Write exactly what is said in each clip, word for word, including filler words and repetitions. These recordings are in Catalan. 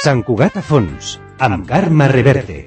Sant Cugat a fons, amb Carme Reverte.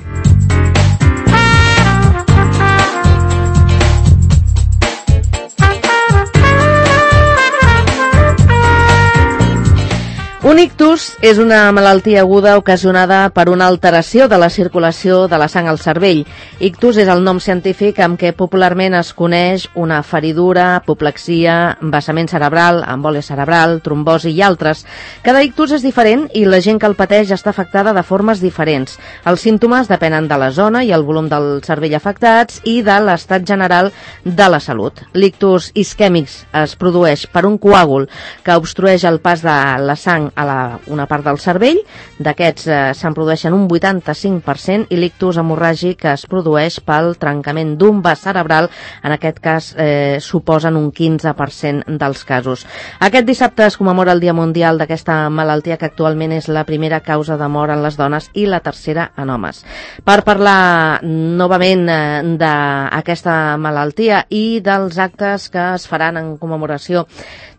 Un ictus és una malaltia aguda ocasionada per una alteració de la circulació de la sang al cervell. Ictus és el nom científic amb què popularment es coneix una feridura, apoplexia, vessament cerebral, embòlia cerebral, trombosi i altres. Cada ictus és diferent i la gent que el pateix està afectada de formes diferents. Els símptomes depenen de la zona i el volum del cervell afectats i de l'estat general de la salut. L'ictus isquèmic es produeix per un coàgul que obstrueix el pas de la sang a la, una part del cervell. D'aquests eh, se'n produeixen un vuitanta-cinc per cent i l'ictus hemorràgic es produeix pel trencament d'un vas cerebral, en aquest cas eh, suposen un quinze per cent dels casos. Aquest dissabte es commemora el Dia Mundial d'aquesta malaltia que actualment és la primera causa de mort en les dones i la tercera en homes. Per parlar novament eh, d'aquesta malaltia i dels actes que es faran en commemoració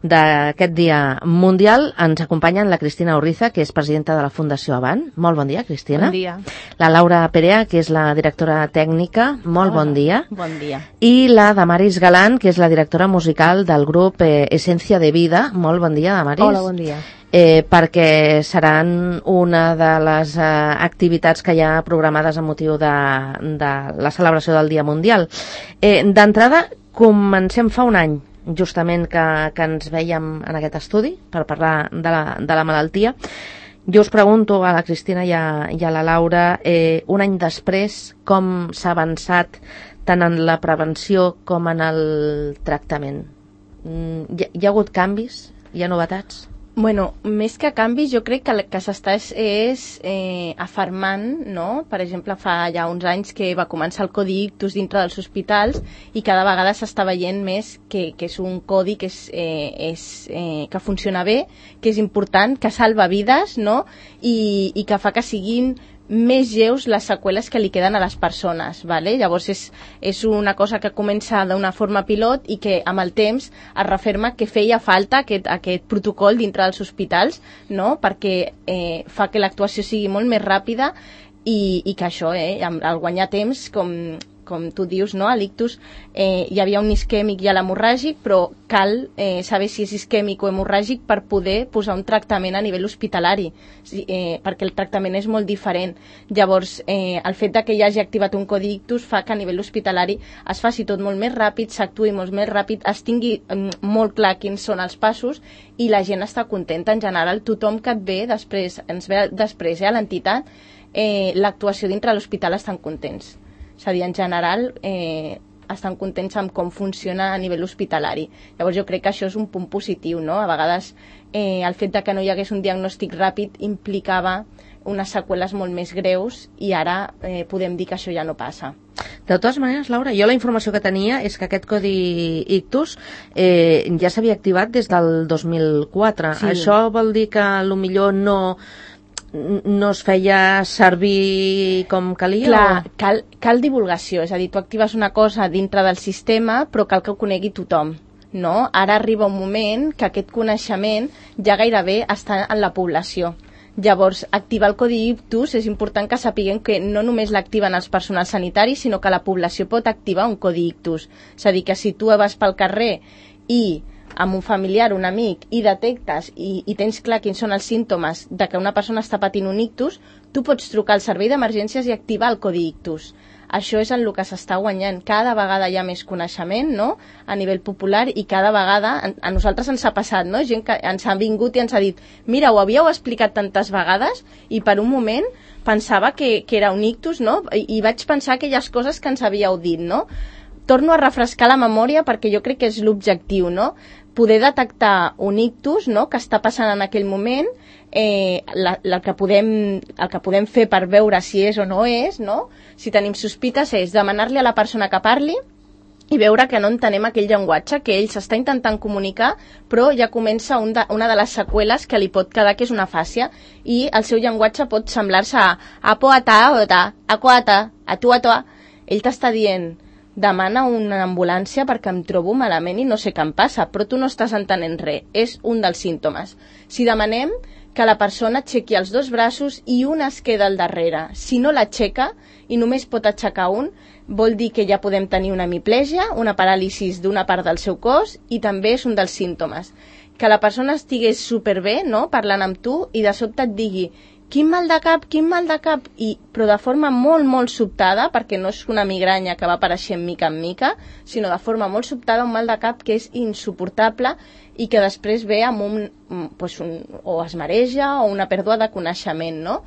d'aquest Dia Mundial, ens acompanyen la Cristina Urriza, que és presidenta de la Fundació Avant. Molt bon dia, Cristina. Bon dia. La Laura Perea, que és la directora tècnica. Molt Hola. Bon dia. Bon dia. I la Damaris Galán, que és la directora musical del grup eh, Essència de Vida. Molt bon dia, Damaris. Hola, bon dia. Eh, perquè seran una de les eh, activitats que hi ha programades amb motiu de, de la celebració del Dia Mundial. Eh, D'entrada, comencem fa un any, justament que, que ens veiem en aquest estudi per parlar de la, de la malaltia. Jo us pregunto a la Cristina i a, i a la Laura, eh, un any després, com s'ha avançat tant en la prevenció com en el tractament? Mm, hi, hi ha hagut canvis? Hi ha novetats? Bueno, més que canvis, jo crec que el que s'està és, és eh, afermant, no? Per exemple, fa ja uns anys que va començar el codi ictus dintre dels hospitals i cada vegada s'està veient més que, que és un codi que, és, eh, és, eh, que funciona bé, que és important, que salva vides, no? I, i que fa que siguin més lleus les seqüeles que li queden a les persones, ¿vale? Llavors és, és una cosa que comença d'una forma pilot i que amb el temps es referma que feia falta aquest, aquest protocol dintre dels hospitals, no? Perquè eh, fa que l'actuació sigui molt més ràpida i, i que això, eh, al guanyar temps, com, com tu dius, no? A l'ictus eh, hi havia un isquèmic i l'hemorràgic, però cal eh, saber si és isquèmic o hemorràgic per poder posar un tractament a nivell hospitalari, eh, perquè el tractament és molt diferent. Llavors, eh, el fet de que hi hagi activat un codi ictus fa que a nivell hospitalari es faci tot molt més ràpid, s'actuï molt més ràpid, es tingui eh, molt clar quins són els passos i la gent està contenta. En general, tothom que et ve després, ens ve després eh, a l'entitat, eh, l'actuació dintre de l'hospital estan contents. És a dir, en general, eh, estan contents amb com funciona a nivell hospitalari. Llavors jo crec que això és un punt positiu, no? A vegades eh, el fet de que no hi hagués un diagnòstic ràpid implicava unes seqüeles molt més greus i ara eh, podem dir que això ja no passa. De totes maneres, Laura, jo la informació que tenia és que aquest codi ictus eh, ja s'havia activat des del dos mil quatre. Sí. Això vol dir que potser no... no es feia servir com calia? Clar, o... cal, cal divulgació, és a dir, tu actives una cosa dintre del sistema però cal que ho conegui tothom, no? Ara arriba un moment que aquest coneixement ja gairebé està en la població. Llavors, activar el codi ictus és important que sapiguem que no només l'activen els personals sanitaris, sinó que la població pot activar un codi ictus. És a dir, que si tu vas pel carrer i amb un familiar, un amic, i detectes i, i tens clar quins són els símptomes de que una persona està patint un ictus, tu pots trucar al servei d'emergències i activar el codi ictus. Això és en el que s'està guanyant. Cada vegada hi ha més coneixement, no?, a nivell popular, i cada vegada a, a nosaltres ens ha passat, no?, gent que ens ha vingut i ens ha dit mira, ho havíeu explicat tantes vegades i per un moment pensava que, que era un ictus, no?, I, i vaig pensar aquelles coses que ens havíeu dit, no? Torno a refrescar la memòria perquè jo crec que és l'objectiu, no?, poder detectar un ictus, no?, que està passant en aquell moment, eh, la, la que podem, el que podem fer per veure si és o no és, no?, si tenim sospites, és demanar-li a la persona que parli i veure que no entenem aquell llenguatge, que ell s'està intentant comunicar, però ja comença un de, una de les seqüeles que li pot quedar, que és una fàcia, i el seu llenguatge pot semblar-se a apo, a ta, o ta, a qua, a ta, a tu, a tu. Ell t'està dient demana una ambulància perquè em trobo malament i no sé què em passa, però tu no estàs entenent res, és un dels símptomes. Si demanem que la persona aixequi els dos braços i un es queda al darrere, si no l'aixeca i només pot aixecar un, vol dir que ja podem tenir una hemiplegia, una paràlisi d'una part del seu cos, i també és un dels símptomes. Que la persona estigués superbé, no?, parlant amb tu, i de sobte et digui quin mal de cap, quin mal de cap, i, però de forma molt, molt sobtada, perquè no és una migranya que va apareixent mica en mica, sinó de forma molt sobtada, un mal de cap que és insuportable i que després ve amb un, pues un o es mareja o una pèrdua de coneixement, no?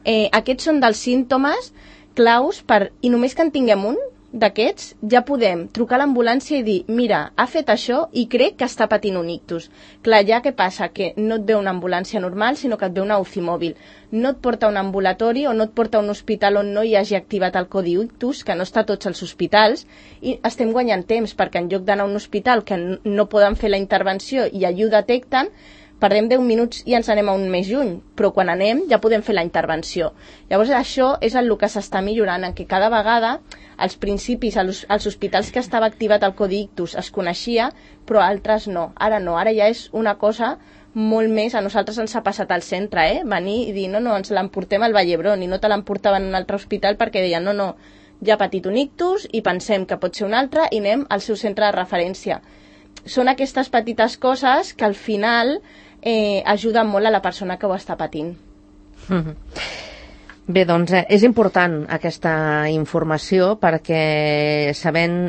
Eh, aquests són dels símptomes claus per, i només que en tinguem un d'aquests, ja podem trucar a l'ambulància i dir, mira, ha fet això i crec que està patint un ictus. Clar, ja què passa? Que no et ve una ambulància normal, sinó que et ve una U C I mòbil. No et porta a un ambulatori o no et porta a un hospital on no hi hagi activat el codi ictus, que no està a tots els hospitals, i estem guanyant temps, perquè en lloc d'anar a un hospital que no poden fer la intervenció i allí ho detecten, perdem deu minuts i ens anem a un més lluny, però quan anem ja podem fer la intervenció. Llavors això és el que s'està millorant, en què cada vegada als principis, als, als hospitals que estava activat el codi ictus es coneixia, però altres no. Ara no, ara ja és una cosa molt més, a nosaltres ens ha passat al centre, eh? Venir i dir, no, no, ens l'emportem al Vall d'Hebron, i no te l'emportaven a un altre hospital perquè deien, no, no, ja ha patit un ictus i pensem que pot ser un altre i anem al seu centre de referència. Són aquestes petites coses que al final eh, ajuden molt a la persona que ho està patint. Mm-hmm. Bé, doncs eh, és important aquesta informació perquè sabent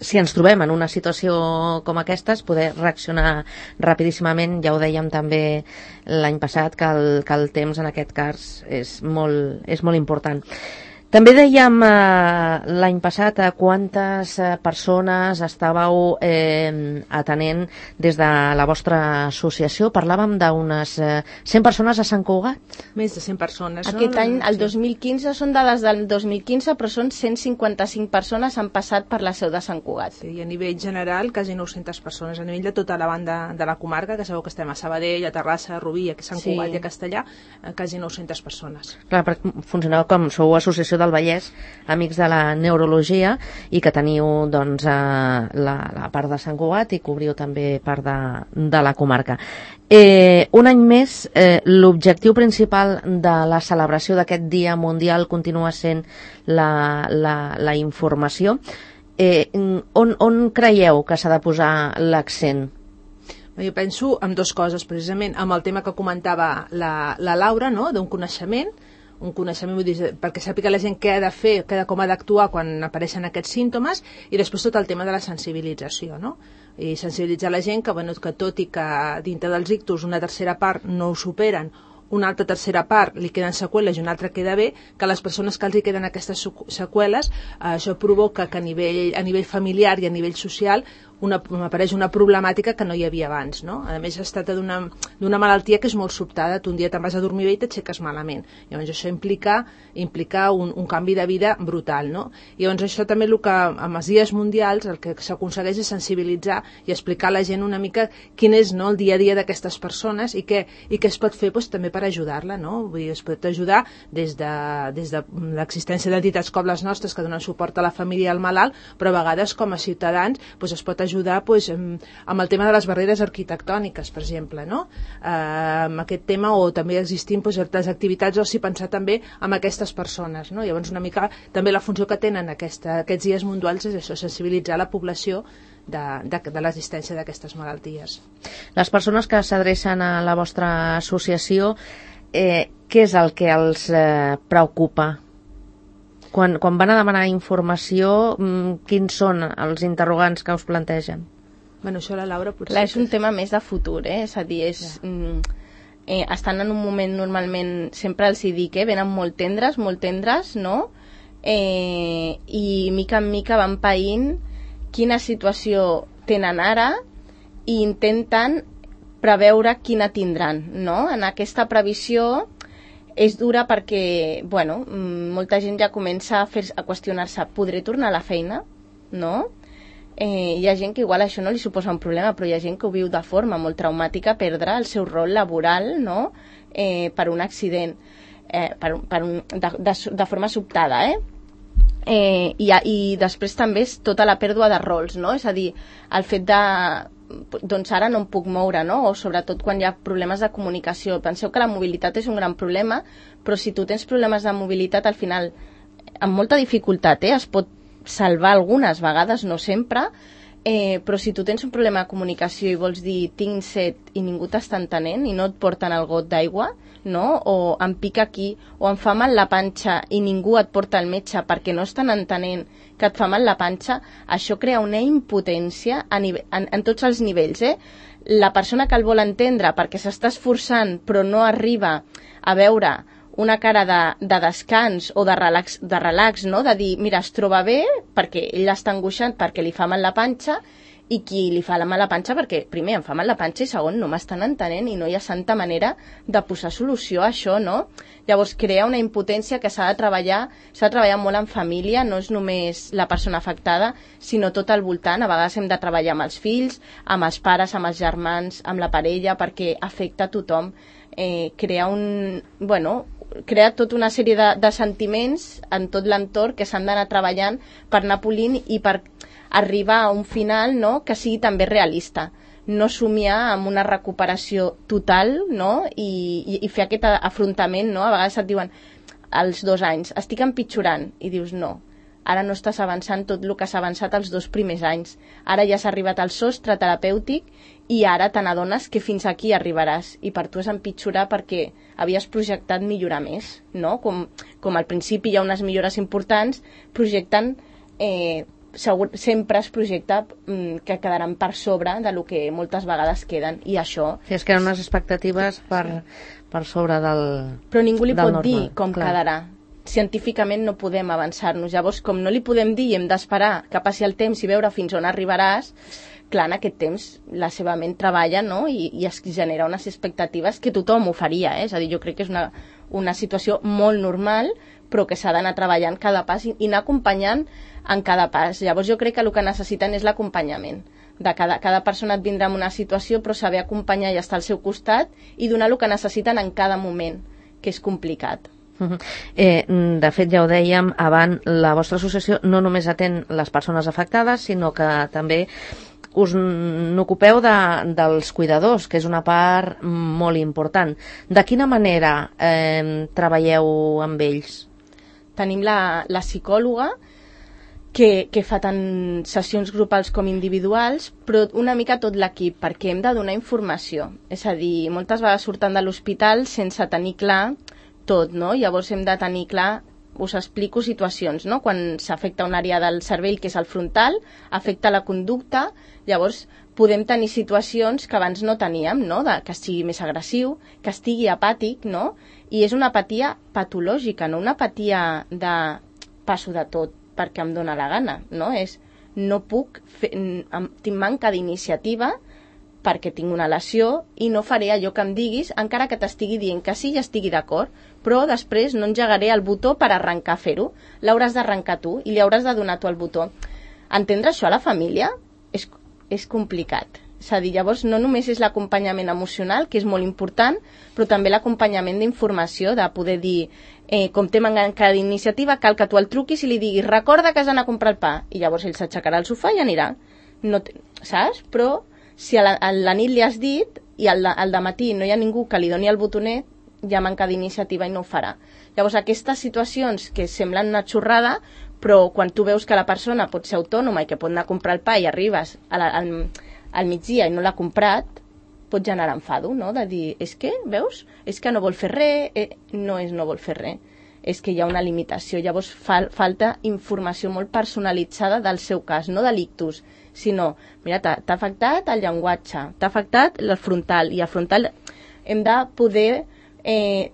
si ens trobem en una situació com aquesta, poder reaccionar rapidíssimament. Ja ho dèiem també l'any passat que el, que el temps en aquest cas és molt, és molt important. També dèiem eh, l'any passat a quantes eh, persones estàveu eh, atenent des de la vostra associació. Parlàvem d'unes eh, cent persones a Sant Cugat? Més de cent persones. Aquest no? any, el Sí. dos mil quinze, són dades del dos mil quinze, però són cent cinquanta-cinc persones han passat per la seu de Sant Cugat. Sí, i a nivell general, quasi nou-centes persones. A nivell de tota la banda de la comarca, que sabeu que estem a Sabadell, a Terrassa, a Rubí, a Sant Sí. Cugat i a Castellà, eh, quasi nou-centes persones. Clar, perquè funcioneu com sou Associació del Vallès, amics de la neurologia, i que teniu doncs, eh, la, la part de Sant Cugat i cobriu també part de, de la comarca. Eh, un any més, eh, l'objectiu principal de la celebració d'aquest Dia Mundial continua sent la, la, la informació. Eh, on, on creieu que s'ha de posar l'accent? Jo penso en dues coses, precisament, amb el tema que comentava la, la Laura, no?, d'un coneixement, un coneixement, vull dir, perquè sàpiga la gent què ha de fer, què ha de, com ha d'actuar quan apareixen aquests símptomes, i després tot el tema de la sensibilització, no? I sensibilitzar la gent que, bueno, que tot i que dintre dels ictus una tercera part no ho superen, una altra tercera part li queden seqüeles i una altra queda bé, que les persones que els hi queden aquestes seqüeles, eh, això provoca que a nivell, a nivell familiar i a nivell social una, apareix una problemàtica que no hi havia abans, no? A més, es tracta d'una d'una malaltia que és molt sobtada, tu un dia te'n vas a dormir bé i t'aixeques malament. Llavors això implica, implica un, un canvi de vida brutal, no? I llavors això també el que amb els dies mundials el que s'aconsegueix és sensibilitzar i explicar a la gent una mica quin és, no, el dia a dia d'aquestes persones i què, i què es pot fer, doncs, també per ajudar-la, no? Vull dir, es pot ajudar des de, des de l'existència d'entitats com les nostres que donen suport a la família i al malalt, però a vegades com a ciutadans doncs, es pot ajudar ajudar pues, amb, amb el tema de les barreres arquitectòniques, per exemple, no? Eh, amb aquest tema, o també existint pues, les activitats d'oci, pensar també amb aquestes persones, no? Llavors una mica també la funció que tenen aquesta, aquests dies mundials és això, sensibilitzar la població de, de, de l'existència d'aquestes malalties. Les persones que s'adrecen a la vostra associació, eh, què és el que els eh, preocupa? Quan, quan van a demanar informació, quins són els interrogants que us plantegen? Bueno, això la Laura potser... Clar, és un tema més de futur, eh? És a dir, és, ja. eh, estan en un moment normalment, sempre els hi dic, eh? Venen molt tendres, molt tendres, no? Eh, I mica en mica van païnt quina situació tenen ara i intenten preveure quina tindran, no? En aquesta previsió és dura perquè, bueno, molta gent ja comença a, fer, a qüestionar-se, podré tornar a la feina? No? Eh, hi ha gent que igual això no li suposa un problema, però hi ha gent que ho viu de forma molt traumàtica, perdre el seu rol laboral, no? Eh, per un accident, eh, per, per un, de, de, de forma sobtada, eh? Eh, i, i després també és tota la pèrdua de rols, no? És a dir, el fet de doncs ara no em puc moure, no? O sobretot quan hi ha problemes de comunicació. Penseu que la mobilitat és un gran problema, però si tu tens problemes de mobilitat, al final, amb molta dificultat, eh? Es pot salvar algunes vegades, no sempre, eh, però si tu tens un problema de comunicació i vols dir tinc set i ningú t'està entenent i no et porten el got d'aigua, no? O em pica aquí, o em fa mal la panxa i ningú et porta al metge perquè no estan entenent que et fa mal la panxa, això crea una impotència a nivell, en, en tots els nivells, eh? La persona que el vol entendre perquè s'està esforçant però no arriba a veure una cara de, de descans o de relax, de relax, no? De dir, mira, es troba bé perquè ell està angoixant perquè li fa mal la panxa, i qui li fa la mala panxa perquè, primer, em fa mal la panxa i segon, no m'estan entenent i no hi ha santa manera de posar solució a això, no? Llavors, crea una impotència que s'ha de treballar, s'ha de treballar molt en família, no és només la persona afectada, sinó tot al voltant. A vegades hem de treballar amb els fills, amb els pares, amb els germans, amb la parella, perquè afecta a tothom. Eh, crea un... Bueno, crea tota una sèrie de, de sentiments en tot l'entorn que s'han d'anar treballant per anar polint i per arribar a un final, no?, que sigui també realista, no somiar amb una recuperació total, no?, i, i, i fer aquest afrontament, no? A vegades et diuen als dos anys, estic empitjorant, i dius no, ara no estàs avançant tot el que s'ha avançat els dos primers anys, ara ja s'ha arribat al sostre terapèutic i ara te n'adones que fins aquí arribaràs i per tu és empitjorar perquè havies projectat millorar més, no? Com, com al principi hi ha unes millores importants, projecten eh, segur, sempre es projecta mm, que quedaran per sobre de lo que moltes vegades queden, i això... Sí, és que eren unes expectatives per, per sobre del Però ningú li pot normal, dir com clar. quedarà. Científicament no podem avançar-nos. Llavors, com no li podem dir i hem d'esperar que passi el temps i veure fins on arribaràs, clar, en aquest temps la seva ment treballa, no? I, i es genera unes expectatives que tothom ho faria, eh? És a dir, jo crec que és una, una situació molt normal, però que s'ha d'anar treballant cada pas i, i anar acompanyant en cada pas. Llavors jo crec que el que necessiten és l'acompanyament. De cada, cada persona et vindrà en una situació, però saber acompanyar i estar al seu costat i donar el que necessiten en cada moment, que és complicat. Uh-huh. Eh, de fet, ja ho dèiem abans, la vostra associació no només atén les persones afectades, sinó que també us n'ocupeu de, dels cuidadors, que és una part molt important. De quina manera eh, treballeu amb ells? Tenim la, la psicòloga que, que fa tant sessions grupals com individuals, però una mica tot l'equip, perquè hem de donar informació. És a dir, moltes vegades surten de l'hospital sense tenir clar tot, no? Llavors hem de tenir clar, us explico situacions, no? Quan s'afecta una àrea del cervell que és el frontal, afecta la conducta, llavors podem tenir situacions que abans no teníem, no? De, que sigui més agressiu, que estigui apàtic, no? I és una apatia patològica, no una apatia de passo de tot perquè em dóna la gana, no? És no puc, fer, tinc manca d'iniciativa perquè tinc una lesió i no faré allò que em diguis, encara que t'estigui dient que sí i estigui d'acord, però després no engegaré el botó per arrencar a fer-ho. L'hauràs d'arrencar tu i li hauràs de donar tu el botó. Entendre això a la família és, és complicat. És a dir, llavors no només és l'acompanyament emocional, que és molt important, però també l'acompanyament d'informació, de poder dir, eh, com té manca d'iniciativa, cal que tu el truquis i li diguis, recorda que has d'anar a comprar el pa, i llavors ell s'aixecarà al sofà i anirà. No te, saps? Però si a la, a la nit li has dit i al, al dematí no hi ha ningú que li doni el botonet, hi ha manca d'iniciativa i no ho farà. Llavors aquestes situacions que semblen una xorrada, però quan tu veus que la persona pot ser autònoma i que pot anar a comprar el pa i arribes a la, al, al migdia i no l'ha comprat, pot generar enfado, no? De dir, és que, veus? És que no vol fer res, eh, no és no vol fer res, és que hi ha una limitació. Llavors fal, falta informació molt personalitzada del seu cas, no de l'ictus, sinó, mira, t'ha afectat el llenguatge, t'ha afectat el frontal, i el frontal hem de poder eh,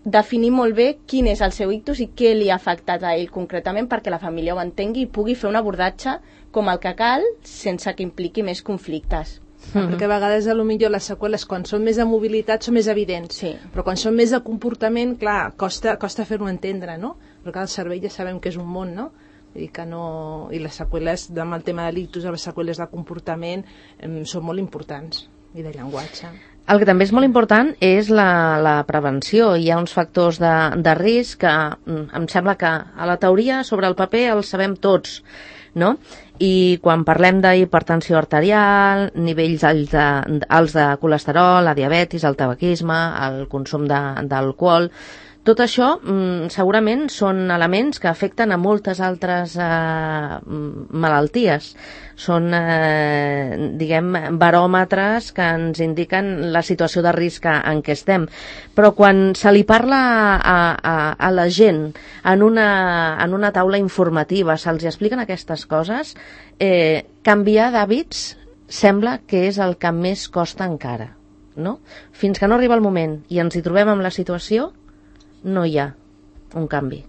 definir molt bé quin és el seu ictus i què li ha afectat a ell concretament perquè la família ho entengui i pugui fer un abordatge com el que cal sense que impliqui més conflictes. Mm-hmm. Perquè a vegades potser les seqüeles quan són més de mobilitat són més evidents, sí. Però quan són més de comportament, clar, costa, costa fer-ho entendre, no? Perquè el cervell ja sabem que és un món, no? Vull dir que no... I les seqüeles, amb el tema de l'ictus, les seqüeles de comportament eh, són molt importants, i de llenguatge. El que també és molt important és la, la prevenció. Hi ha uns factors de, de risc que em sembla que a la teoria sobre el paper els sabem tots, no? I quan parlem d'hipertensió arterial, nivells alts de, alts de colesterol, la diabetis, el tabaquisme, el consum d'alcohol, tot això mm, segurament són elements que afecten a moltes altres eh, malalties. Són, eh, diguem, baròmetres que ens indiquen la situació de risc en què estem. Però quan se li parla a, a, a la gent en una, en una taula informativa, se'ls expliquen aquestes coses, eh, canviar d'hàbits sembla que és el que més costa encara, no? Fins que no arriba el moment i ens hi trobem amb la situació, no hi ha un canvi.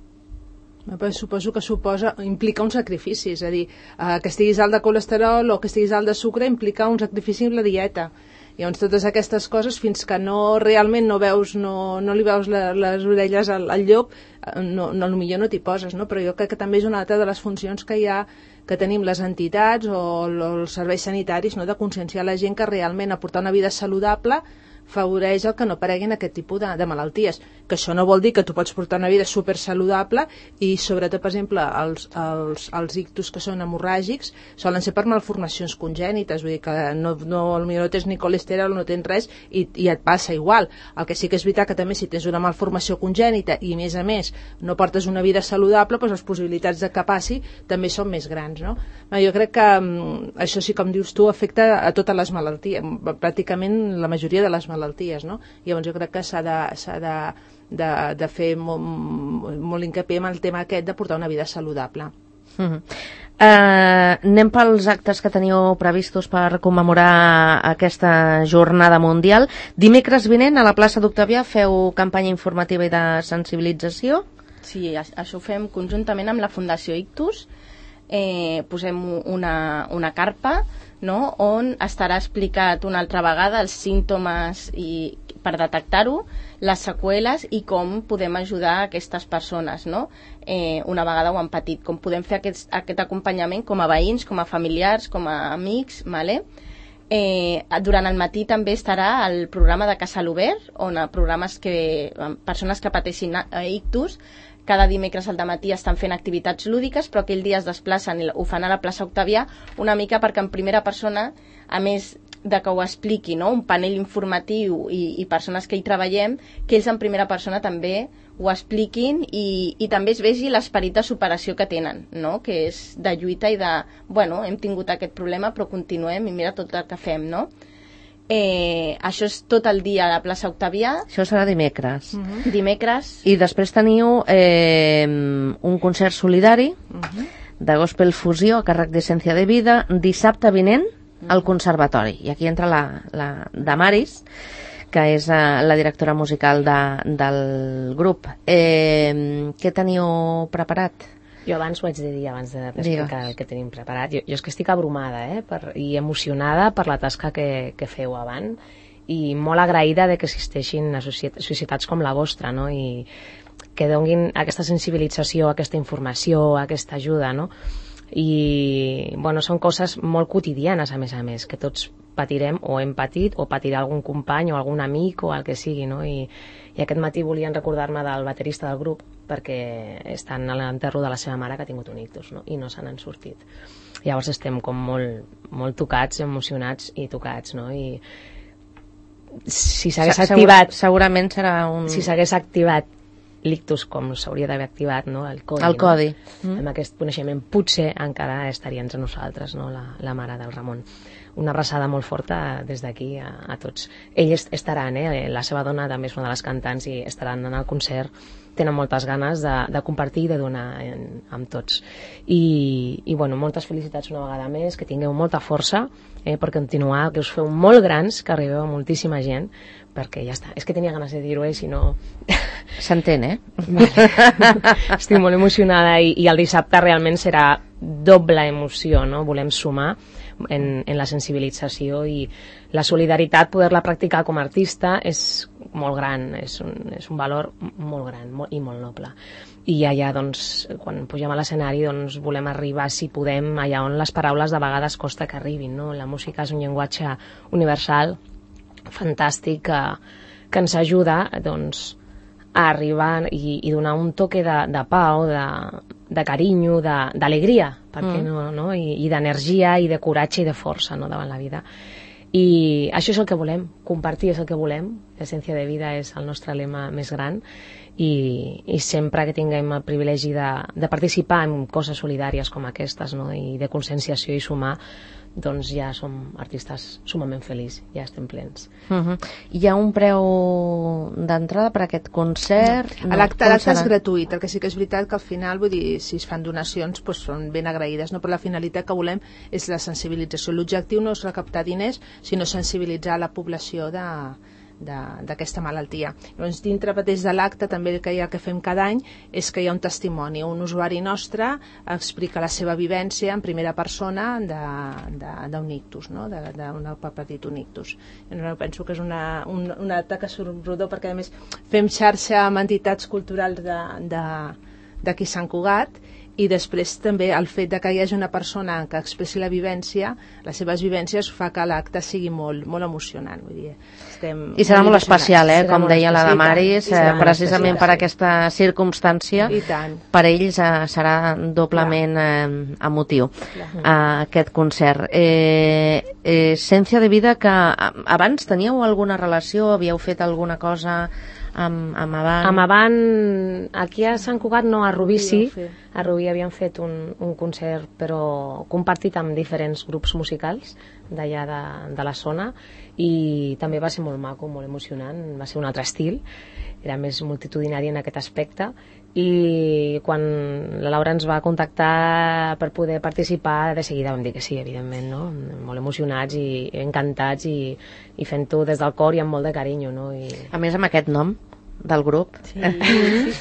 Però suposo que suposa, implica un sacrifici, és a dir, eh, que estiguis alt de colesterol o que estiguis alt de sucre implica un sacrifici en la dieta. Llavors totes aquestes coses, fins que no realment no veus, no, no li veus la, les orelles al, al llop, no, no, potser no t'hi poses, no? Però jo crec que també és una altra de les funcions que hi ha, que tenim les entitats o, o els serveis sanitaris, no? De conscienciar la gent que realment aportar una vida saludable favoreix el que no apareguin aquest tipus de, de malalties, que això no vol dir que tu pots portar una vida super saludable i sobretot, per exemple, els, els, els ictus que són hemorràgics solen ser per malformacions congènites, vull dir que no, no, potser no tens ni colesterol, no tens res i, i et passa igual. El que sí que és veritat que també si tens una malformació congènita i a més a més no portes una vida saludable, doncs les possibilitats de que passi també són més grans, no? Jo crec que um, això sí, com dius tu, afecta a totes les malalties, pràcticament la majoria de les malalties malalties, no? Llavors jo crec que s'ha de, s'ha de, de, de fer molt, molt hincapié en el tema aquest de portar una vida saludable. Mm-hmm. Uh, anem pels actes que teniu previstos per commemorar aquesta jornada mundial. Dimecres vinent a la plaça d'Octavià feu campanya informativa i de sensibilització? Sí, això ho fem conjuntament amb la Fundació Ictus. Eh, posem una, una carpa, no?, on estarà explicat una altra vegada els símptomes i, per detectar-ho, les seqüeles i com podem ajudar aquestes persones, no? Eh, una vegada ho han patit, com podem fer aquest, aquest acompanyament com a veïns, com a familiars, com a amics, vale? Eh, durant el matí també estarà el programa de Casa l'Obert, on programes que, persones que pateixin ictus, cada dimecres al dematí estan fent activitats lúdiques, però aquell dia es desplacen i ho fan a la plaça Octavià una mica perquè en primera persona, a més de que ho expliqui, no?, un panell informatiu i, i persones que hi treballem, que ells en primera persona també ho expliquin i, i també es vegi l'esperit de superació que tenen, no?, que és de lluita i de, bueno, hem tingut aquest problema però continuem i mira tot el que fem, no? Eh, això és tot el dia a la plaça Octavià. Això serà dimecres. Uh-huh. Dimecres. I després teniu eh, un concert solidari uh-huh. de Gospel Fusió a càrrec d'Essència de Vida dissabte vinent uh-huh. al Conservatori. I aquí entra la, la Damaris, que és uh, la directora musical de, del grup. Eh, què teniu preparat? Jo abans ho haig de dir, abans d'explicar el que tenim preparat. Jo, jo és que estic abrumada eh, per, i emocionada per la tasca que, que feu abans i molt agraïda de que existeixin societats com la vostra, no? I que donguin aquesta sensibilització, aquesta informació, aquesta ajuda, no? I bueno, són coses molt quotidianes a més a més, que tots patirem o hem patit o patirà algun company o algun amic o el que sigui, no? I, i aquest matí volien recordar-me del baterista del grup perquè estan a l'enterro de la seva mare que ha tingut un ictus, no? I no se n'han sortit. Llavors estem com molt, molt tocats, emocionats i tocats, no? I si s'hagués activat... Segurament serà un... Si s'hagués activat l'ictus com s'hauria d'haver activat, no? El codi. El codi. No? Mm. Amb aquest coneixement potser encara estaria entre nosaltres, no? La, la mare del Ramon. Una abraçada molt forta des d'aquí a, a tots. Ells estaran, eh? La seva dona també és una de les cantants i estaran en el concert. Tenen moltes ganes de, de compartir i de donar en, amb tots. I, i bueno, moltes felicitats una vegada més, que tingueu molta força eh, per continuar, que us feu molt grans, que arribeu a moltíssima gent, perquè ja està. És que tenia ganes de dir-ho, eh? Si no... S'entén, eh? Vale. Estic molt emocionada i, i el dissabte realment serà doble emoció, no? Volem sumar en, en la sensibilització i la solidaritat, poder-la practicar com a artista és molt gran, és un, és un valor molt gran molt, i molt noble. I allà, doncs, quan pugem a l'escenari, doncs, volem arribar, si podem, allà on les paraules de vegades costa que arribin, no? La música és un llenguatge universal fantàstic que, que ens ajuda doncs, a arribar i, i donar un toque de, de pau, de, de carinyo, d'alegria, perquè mm. no, no? I, i d'energia i de coratge i de força, no?, davant la vida. I això és el que volem, compartir és el que volem, l'essència de vida és el nostre lema més gran, i, i sempre que tinguem el privilegi de, de participar en coses solidàries com aquestes, no?, i de conscienciació i sumar, doncs ja som artistes sumament feliços, ja estem plens. Uh -huh. Hi ha un preu d'entrada per a aquest concert? No. No. L'acte és gratuït, el que sí que és veritat que al final, vull dir, si es fan donacions, doncs són ben agraïdes, no? Però la finalitat que volem és la sensibilització. L'objectiu no és recaptar diners, sinó sensibilitzar la població de d'aquesta malaltia. Llavors, dintre mateix de l'acte, també el que, hi ha, que fem cada any és que hi ha un testimoni, un usuari nostre explica la seva vivència en primera persona d'un ictus, no? d'un petit un ictus. Jo penso que és una, un, una taca rodó, perquè a més fem xarxa amb entitats culturals d'aquí Sant Cugat, i després també el fet de que hi hagi una persona que expressi la vivència, les seves vivències, fa que l'acte sigui molt, molt emocionant. Vull dir, estem I serà molt, molt especial, eh? Com deia la Damaris, eh, precisament per aquesta circumstància, per ells eh, serà doblement eh, emotiu eh, aquest concert. Eh, eh, Essència de vida, que abans teníeu alguna relació, havíeu fet alguna cosa amb, amb Avant? Amb Avant, aquí a Sant Cugat no, a Rubí sí, a Rubí havíem fet un, un concert però compartit amb diferents grups musicals d'allà de, de la zona, i també va ser molt maco, molt emocionant, va ser un altre estil, era més multitudinari en aquest aspecte, i quan la Laura ens va contactar per poder participar, de seguida vam dir que sí, evidentment, no? Molt emocionats i encantats, i, i fent-ho des del cor i amb molt de carinyo, no? I... A més, amb aquest nom del grup, sí.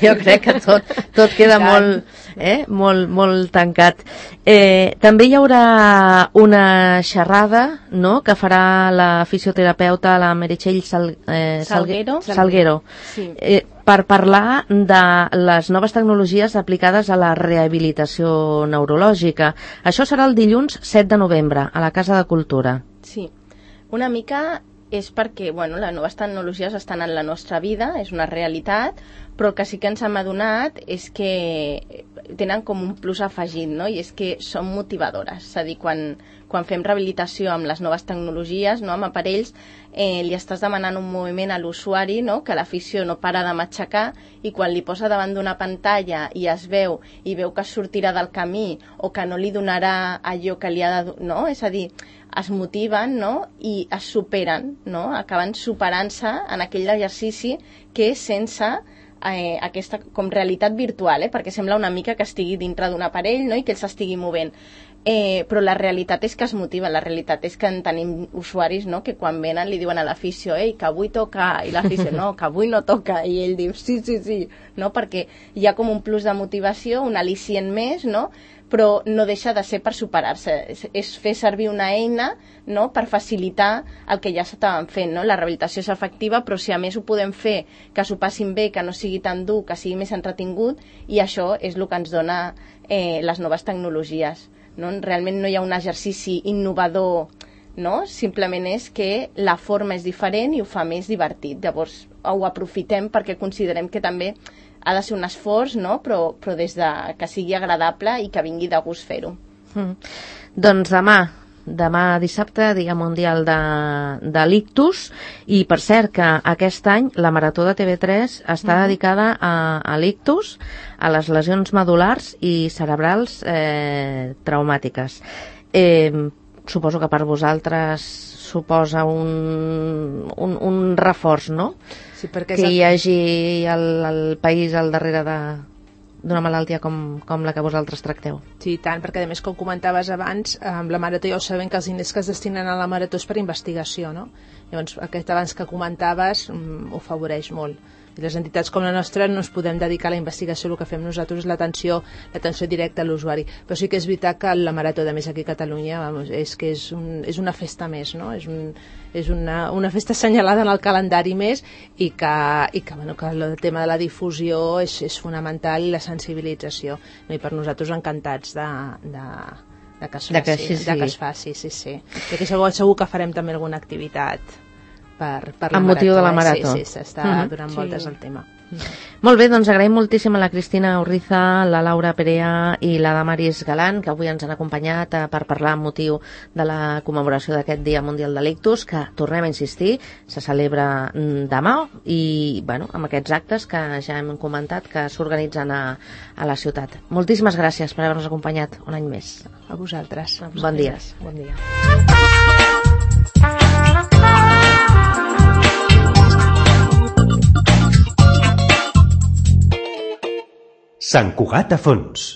Jo crec que tot, tot queda molt, eh, molt, molt tancat. Eh, també hi haurà una xerrada, no?, que farà la fisioterapeuta, la Meritxell Sal, eh, Salguero, Salguero sí. eh, per parlar de les noves tecnologies aplicades a la rehabilitació neurològica. Això serà el dilluns set de novembre, a la Casa de Cultura. Sí, una mica és perquè, bueno, les noves tecnologies estan en la nostra vida, és una realitat, però el que sí que ens hem adonat és que tenen com un plus afegit, no? I és que són motivadores, és a dir, quan, quan fem rehabilitació amb les noves tecnologies, no? Amb aparells, eh, li estàs demanant un moviment a l'usuari, no? Que l'afició no para de matxacar, i quan li posa davant d'una pantalla i es veu, i veu que sortirà del camí o que no li donarà allò que li ha de... no? És a dir, es motiven, no? I es superen, no? Acaben superant-se en aquell exercici que és sense eh, aquesta com realitat virtual, eh? Perquè sembla una mica que estigui dintre d'un aparell, no? I que ell s'estigui movent. Eh, però la realitat és que es motiven, la realitat és que en tenim usuaris, no? Que quan venen li diuen a l'afició, ei, que avui toca, i l'afició, no, que avui no toca, i ell diu, sí, sí, sí, no? Perquè hi ha com un plus de motivació, un al·licient més, no? Però no deixa de ser per superar-se, és, és fer servir una eina, no?, per facilitar el que ja s'estaven fent, no? La rehabilitació és efectiva, però si a més ho podem fer, que s'ho passin bé, que no sigui tan dur, que sigui més entretingut, i això és el que ens dona eh, les noves tecnologies, no? Realment no hi ha un exercici innovador, no? Simplement és que la forma és diferent i ho fa més divertit, llavors ho aprofitem perquè considerem que també ha de ser un esforç, no? però, però des de que sigui agradable i que vingui de gust fer-ho. Mm. Doncs demà, demà dissabte, Dia Mundial de, de l'Ictus, i per cert que aquest any la Marató de T V tres està mm. dedicada a, a l'Ictus, a les lesions medul·lars i cerebrals eh, traumàtiques. Eh, suposo que per vosaltres suposa un, un, un reforç, no? Sí, perquè que hi hagi el, el país al darrere de d'una malaltia com, com la que vosaltres tracteu. Sí, tant, perquè a més, com comentaves abans, amb la Marató ja ho sabem que els diners que es destinen a la Marató és per investigació, no? Llavors, aquest abans que comentaves um, ho afavoreix molt. I les entitats com la nostra no ens podem dedicar a la investigació, el que fem nosaltres és l'atenció l'atenció directa a l'usuari. Però sí que és veritat que la Marató, de més aquí a Catalunya, vamos, és que és, un, és una festa més, no? És, un, és una, una festa assenyalada en el calendari més, i que, i que, bueno, que el tema de la difusió és, és fonamental, i la sensibilització. No? I per nosaltres encantats de, de, de, que, es faci, de, que, sí, sí. de que es faci, sí, sí. I que segur, segur que farem també alguna activitat per, per la Amb motiu marató, de la eh? marató. Sí, sí, s'està Mhm. donant Sí. voltes al tema. Molt bé, doncs agraïm moltíssim a la Cristina Urriza, la Laura Perea i la Damaris Galant, que avui ens han acompanyat eh, per parlar amb motiu de la commemoració d'aquest Dia Mundial de l'Ictus, que, tornem a insistir, se celebra mm, demà i, bueno, amb aquests actes que ja hem comentat que s'organitzen a, a la ciutat. Moltíssimes gràcies per haver-nos acompanyat un any més. A vosaltres. Bon dia. Bon dia. Sant Cugat a fons.